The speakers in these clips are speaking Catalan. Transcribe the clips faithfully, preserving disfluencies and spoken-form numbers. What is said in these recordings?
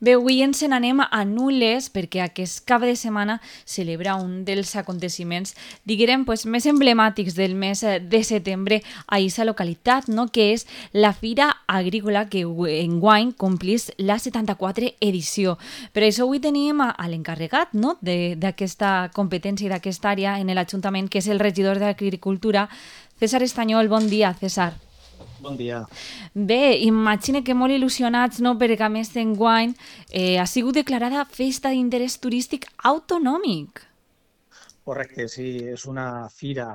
Bé, avui ens n'anem a Nules perquè aquest cap de setmana celebra un dels aconteciments, diguem, pues, més emblemàtics del mes eh, de setembre a aquesta localitat, no? Que és la Fira Agrícola que enguany complís la setanta-quatre edició. Per això avui tenim a, a l'encarregat, no? de- d'aquesta competència i d'aquesta àrea en l'Ajuntament, que és el regidor d'Agricultura, César Estanyol. Bon dia, César. Bon dia. Bé, imagine que molt il·lusionats, no?, perquè a més d'enguany eh, ha sigut declarada festa d'interès turístic autonòmic. Correcte, sí, és una fira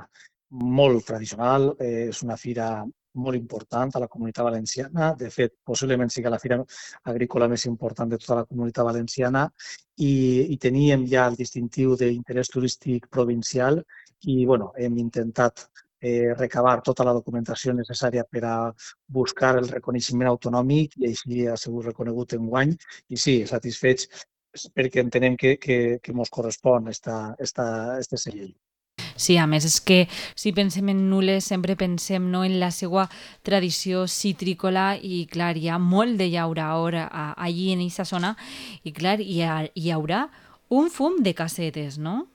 molt tradicional, eh, és una fira molt important a la Comunitat Valenciana. De fet, possiblement sigui la fira agrícola més important de tota la Comunitat Valenciana i, i teníem ja el distintiu d'interès turístic provincial i bueno, hem intentat eh, recabar tota la documentació necessària per a buscar el reconeixement autonòmic i així ha sigut reconegut enguany. I sí, satisfets perquè entenem que, que, que mos correspon esta, esta, este segell. Sí, a més és que si pensem en Nules sempre pensem, no?, en la seva tradició citrícola i clar, hi ha molt de llauraor a- allí en aquesta zona i clar, hi, ha, hi haurà un fum de casetes, no?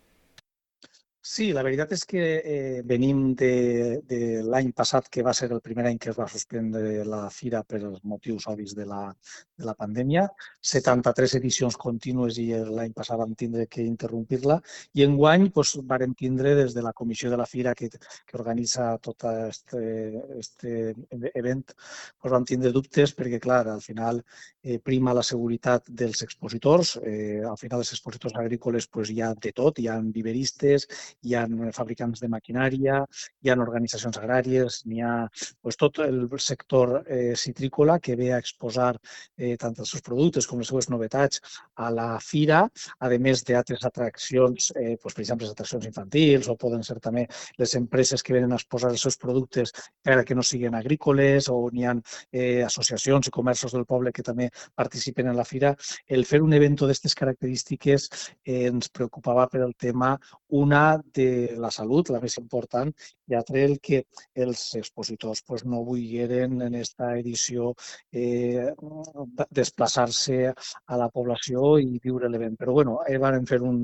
Sí, la veritat és que eh, venim de, de l'any passat, que va ser el primer any que es va suspendre la fira per els motius obvis de la, de la pandèmia. setanta-tres edicions contínues i l'any passat vam tindre que interrompir-la. I enguany doncs, vàrem tindre des de la comissió de la fira que, que organitza tot aquest este event, doncs vam tindre dubtes perquè, clar, al final eh, prima la seguretat dels expositors. Eh, al final, els expositors agrícoles doncs, hi ha de tot, hi ha viveristes, hi ha fabricants de maquinària, hi ha organitzacions agràries, n'hi ha doncs, tot el sector eh, citrícola que ve a exposar eh, tant els seus productes com les seves novetats a la fira, a més d'altres atraccions, eh, doncs, per exemple, les atraccions infantils o poden ser també les empreses que venen a exposar els seus productes encara que no siguin agrícoles o n'hi ha eh, associacions i comerços del poble que també participen en la fira. El fer un event d'aquestes característiques eh, ens preocupava per el tema, una, de la salut, la més important, i altra, el que els expositors pues, no volgueren en aquesta edició eh, desplaçar-se a la població i viure l'event. Però bueno, eh, vam fer un,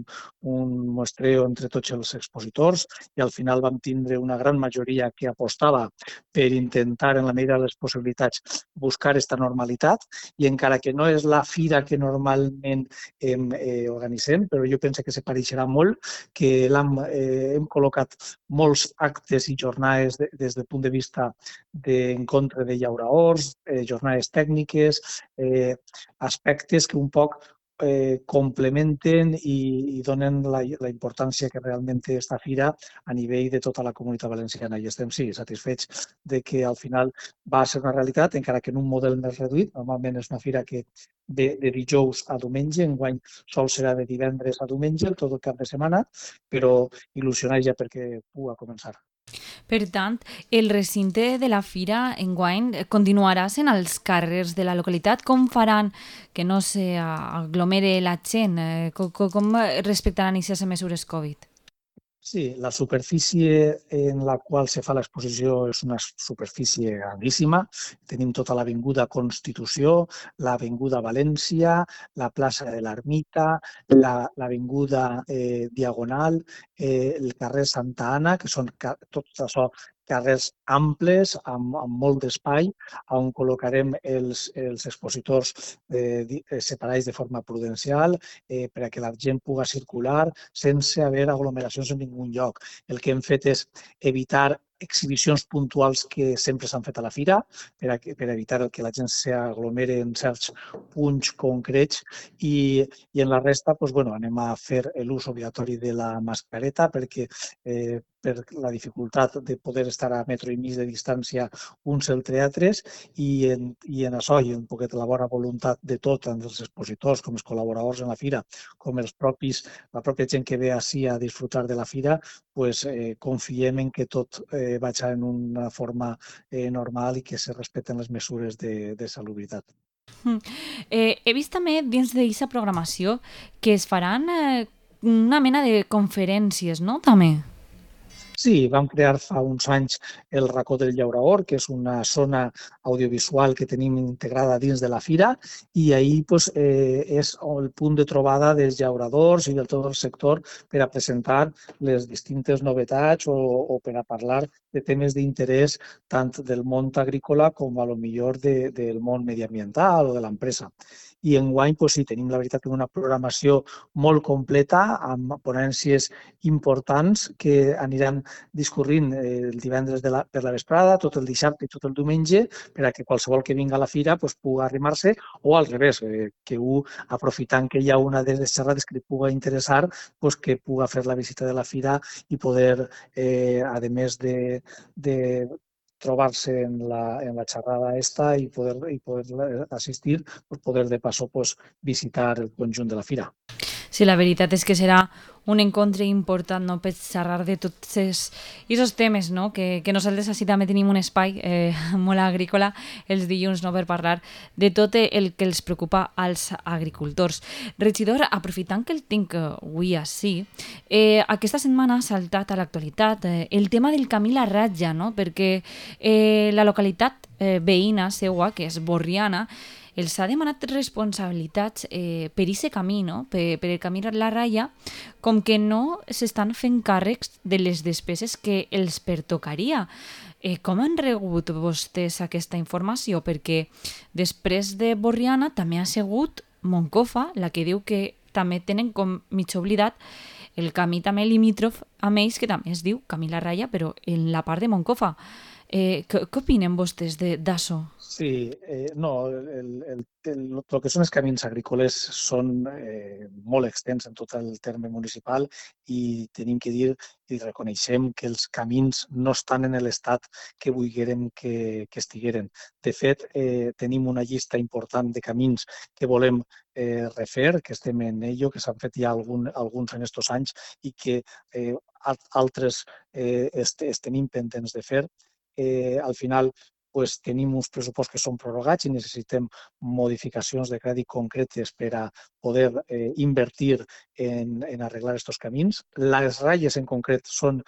un muestreo entre tots els expositors i al final vam tindre una gran majoria que apostava per intentar, en la medida de les possibilitats, buscar aquesta normalitat i encara que no és la fira que normalment hem, eh, organitzem, però jo penso que se pareixerà molt, que l'hem eh, hem col·locat molts actes i jornades de, des del punt de vista d'encontre de llauraors, eh, jornades tècniques, eh, aspectes que un poc eh, complementen i, i donen la, la importància que realment té aquesta fira a nivell de tota la Comunitat Valenciana. I estem, sí, satisfets de que al final va ser una realitat, encara que en un model més reduït. Normalment és una fira que ve de dijous a diumenge, enguany sol serà de divendres a diumenge, tot el cap de setmana, però il·lusionat ja perquè puga començar. Per tant, el recinte de la fira enguany continuarà sent als carrers de la localitat. Com faran que no s'aglomere la gent? Eh, Com, com respectaran aquestes mesures Covid? Sí, la superfície en la qual se fa l'exposició és una superfície grandíssima. Tenim tota l'avinguda Constitució, l'avinguda València, la plaça de l'Ermita, l'avinguda eh, Diagonal, eh, el carrer Santa Anna, que són tot això carrers amples, amb, amb molt d'espai, on col·locarem els, els expositors eh, separats de forma prudencial eh, per a que la gent pugui circular sense haver aglomeracions en ningú lloc. El que hem fet és evitar exhibicions puntuals que sempre s'han fet a la fira per, a, per evitar que la gent s'aglomere en certs punts concrets i, i en la resta doncs, bueno, anem a fer l'ús obligatori de la mascareta perquè eh, per la dificultat de poder estar a metro i mig de distància uns entre altres i en, i en això i un poquet la bona voluntat de tot, tant els expositors com els col·laboradors en la fira, com els propis, la pròpia gent que ve així a disfrutar de la fira, pues, eh, confiem en que tot eh, vagi en una forma eh, normal i que se respecten les mesures de, de salubritat. Mm. Eh, he vist també dins d'aquesta programació que es faran eh, una mena de conferències, no? També. Sí, vam crear fa uns anys el Racó del Llauraor, que és una zona audiovisual que tenim integrada dins de la fira, i ahir pues, eh, és el punt de trobada dels llauradors i de tot el sector per a presentar les distintes novetats o, o per a parlar de temes d'interès tant del món agrícola com a lo millor de, del món mediambiental o de l'empresa. I enguany, pues, sí, tenim la veritat una programació molt completa amb ponències importants que aniran discorrint el divendres de la, per la vesprada, tot el dissabte i tot el diumenge, per a que qualsevol que vingui a la fira pues, pugui arrimar-se, o al revés, eh, que un, aprofitant que hi ha una de les xerrades que li pugui interessar, pues, que pugui fer la visita de la fira i poder, eh, a més de, de trobar-se en la, en la xerrada esta i poder, i poder assistir, pues, poder de paso pues, visitar el conjunt de la fira. Sí, la veritat és que serà un encontre important, no?, per xerrar de tots aquests temes, no?, que, que nosaltres així també tenim un espai eh, molt agrícola els dilluns, no?, per parlar de tot el que els preocupa als agricultors. Regidor, aprofitant que el tinc avui així, eh, aquesta setmana ha saltat a l'actualitat eh, el tema del camí La Ratlla, no?, perquè eh, la localitat eh, veïna seua, que és Borriana, els ha demanat responsabilitats eh, per aquest camí, no? per, per el camí La Ratlla, com que no s'estan fent càrrecs de les despeses que els pertocaria. Eh, com han rebut vostès aquesta informació? Perquè després de Borriana també ha sigut Moncofa, la que diu que també tenen com mig oblidat el camí també limítrof amb ells, que també es diu Camí La Ratlla, però en la part de Moncofa. Eh, què, què opinen vostès d'això? Sí, eh, no, el, el, el, el que són els camins agrícoles són eh, molt extens en tot el terme municipal i tenim que dir i reconeixem que els camins no estan en l'estat que volguérem que, que estigueren. De fet, eh, tenim una llista important de camins que volem eh, refer, que estem en ello, que s'han fet ja algun, alguns en aquests anys i que eh, altres eh, est, est tenim pendents de fer. Eh, al final, pues, tenim uns pressupostos que són prorrogats i necessitem modificacions de crèdit concretes per a poder eh, invertir en, en arreglar aquests camins. Les ratlles en concret són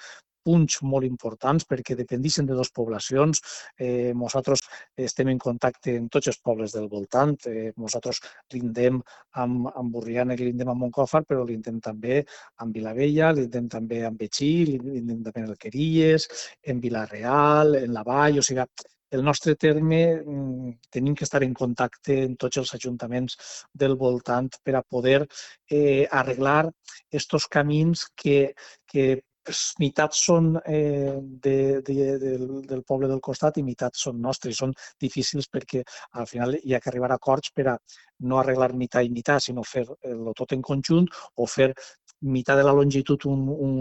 punts molt importants perquè dependixen de dues poblacions. Eh, nosaltres estem en contacte amb tots els pobles del voltant. Eh, nosaltres lindem amb, amb Borriana i lindem amb Moncofa, però lindem també amb Vilavella, lindem també amb Betxí, lindem també en Alqueries, en Vilareal, en la Vall, o sigui, el nostre terme tenim que estar en contacte amb tots els ajuntaments del voltant per a poder eh, arreglar aquests camins que, que pues, meitat són eh, de, de, del, del poble del costat i meitat són nostres. I són difícils perquè al final hi ha que arribar a acords per a no arreglar meitat i meitat, sinó fer-lo tot en conjunt o fer meitat de la longitud un, un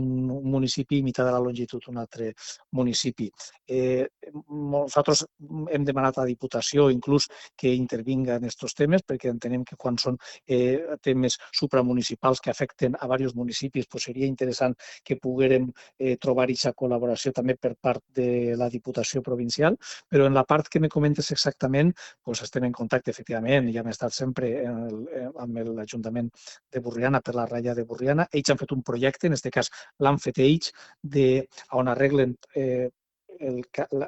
municipi i meitat de la longitud un altre municipi. Eh, nosaltres hem demanat a la Diputació inclús que intervinga en aquests temes perquè entenem que quan són eh, temes supramunicipals que afecten a diversos municipis pues seria interessant que poguérem eh, trobar aquesta col·laboració també per part de la Diputació provincial, però en la part que me comentes exactament pues estem en contacte efectivament i hem estat sempre en el, amb l'Ajuntament de Borriana per la ratlla de Borriana. Ells han fet un projecte, en aquest cas l'han fet ells, de, on arreglen eh, el,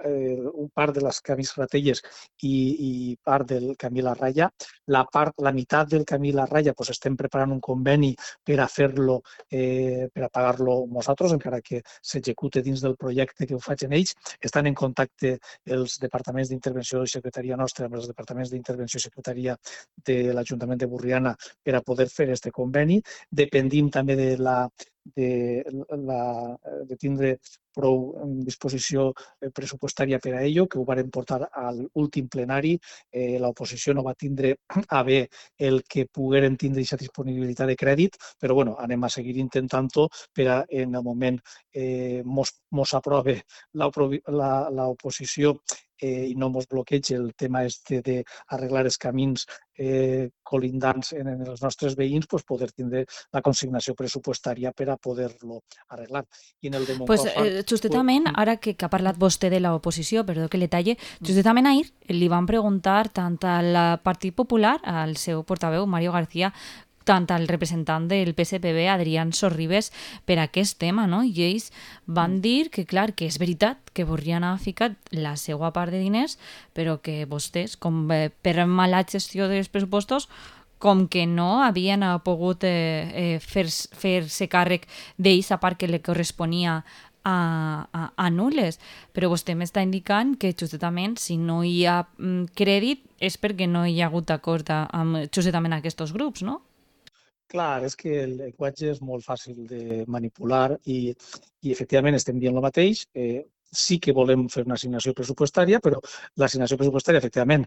el, un part de les camins ratelles i, i part del camí La Ratlla. La, part, la meitat del camí La Ratlla pues, estem preparant un conveni per a fer-lo, eh, per a pagar-lo nosaltres, encara que s'execute dins del projecte que ho facin ells. Estan en contacte els departaments d'intervenció i secretaria nostra amb els departaments d'intervenció i secretaria de l'Ajuntament de Borriana per a poder fer aquest conveni. Dependim també de la de, la, de tindre prou disposició pressupostària per a ello, que ho varen portar a l'últim plenari. Eh, l'oposició no va tindre a bé el que pogueren tindre aquesta disponibilitat de crèdit, però bueno, anem a seguir intentant-ho per a, en el moment eh, mos, mos aprove l'oposició eh, i no mos bloqueja el tema este d'arreglar els camins eh, colindants en, en els nostres veïns, pues poder tindre la consignació pressupostària per a poder-lo arreglar. I en el de Moncofa... Pues, eh, justament, pues, ara que, que ha parlat vostè de l'oposició, perdó que le talle, justament ahir li van preguntar tant al Partit Popular, al seu portaveu, Mario García, tant al representant del P S P B, Adrián Sorribes, per aquest tema, no? I ells van dir que, clar, que és veritat que volien haver ficat la seva part de diners, però que vostès, com eh, per mala gestió dels pressupostos, com que no havien eh, pogut eh, eh, fer- fer-se càrrec d'ells a part que li corresponia a, a, a nules. Però vostè m'està indicant que justament si no hi ha mm, crèdit és perquè no hi ha hagut acord a- amb justament aquests grups, no? Clar, és que el llenguatge és molt fàcil de manipular i, i efectivament estem dient el mateix. Eh, sí que volem fer una assignació pressupostària, però l'assignació pressupostària, efectivament,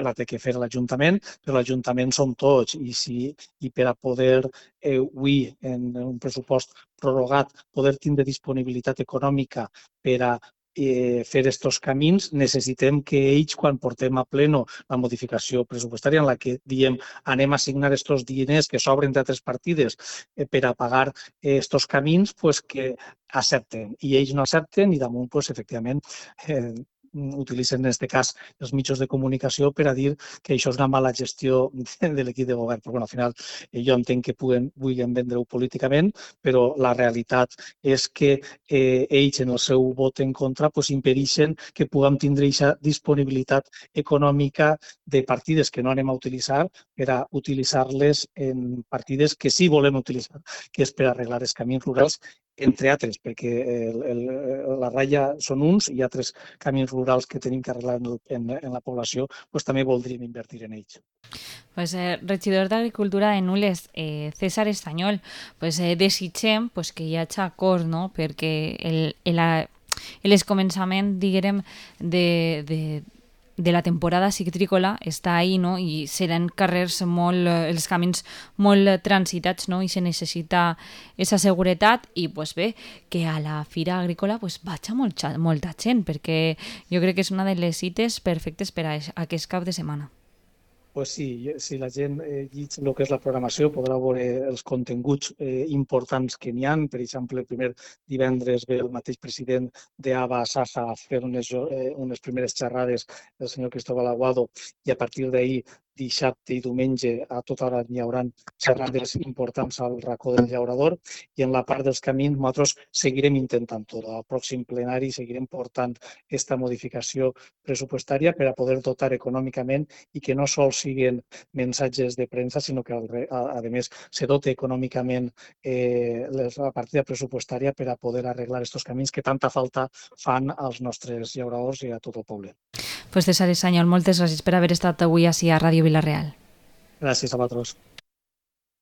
la té que fer l'Ajuntament, però l'Ajuntament som tots i, si, i per a poder, eh, avui, en un pressupost prorrogat, poder tindre disponibilitat econòmica per a eh, fer estos camins, necessitem que ells, quan portem a pleno la modificació pressupostària en la que diem anem a assignar estos diners que sobren d'altres partides eh, per a pagar eh, estos camins, pues que accepten. I ells no accepten i damunt, pues, efectivament, eh, utilitzen en aquest cas els mitjans de comunicació per a dir que això és una mala gestió de l'equip de govern. Però bueno, al final eh, jo entenc que puguen, vulguin vendre-ho políticament, però la realitat és que eh, ells en el seu vot en contra pues, impedeixen que puguem tindre aquesta disponibilitat econòmica de partides que no anem a utilitzar per a utilitzar-les en partides que sí volem utilitzar, que és per arreglar els camins rurals, entre altres, perquè el, el, la ratlla són uns i altres camins rurals que tenim que arreglar en, en, en la població, pues, també voldríem invertir en ells. Pues, eh, regidor d'Agricultura de Nules, eh, César Estanyol, pues, eh, desitgem pues, que hi hagi acord, no? Perquè el, el, el començament, diguem, de, de, de la temporada citrícola està ahí, no? I seran carrers molt, eh, els camins molt transitats, no? I se necessita aquesta seguretat i, pues bé, que a la fira agrícola pues, vaig molta, molta gent, perquè jo crec que és una de les cites perfectes per a aquest cap de setmana. Pues sí, si la gent eh, llegeix el que és la programació podrà veure els continguts eh, importants que n'hi ha. Per exemple, el primer divendres ve el mateix president d'A B A, Saja, a fer unes, eh, unes primeres xerrades, el senyor Cristóbal Aguado, i a partir d'ahir, dissabte i diumenge, a tota hora hi haurà xerrades importants al racó del llaurador, i en la part dels camins nosaltres seguirem intentant-ho. Al pròxim plenari seguirem portant aquesta modificació pressupostària per a poder dotar econòmicament i que no sols siguin mensatges de premsa, sinó que, a, a més, se dote econòmicament eh, la partida pressupostària per a poder arreglar aquests camins que tanta falta fan als nostres llauradors i a tot el poble. Pues César Estanyol, moltes gràcies per haver estat avui ací a Ràdio Vila-real. Gràcies a vosaltres.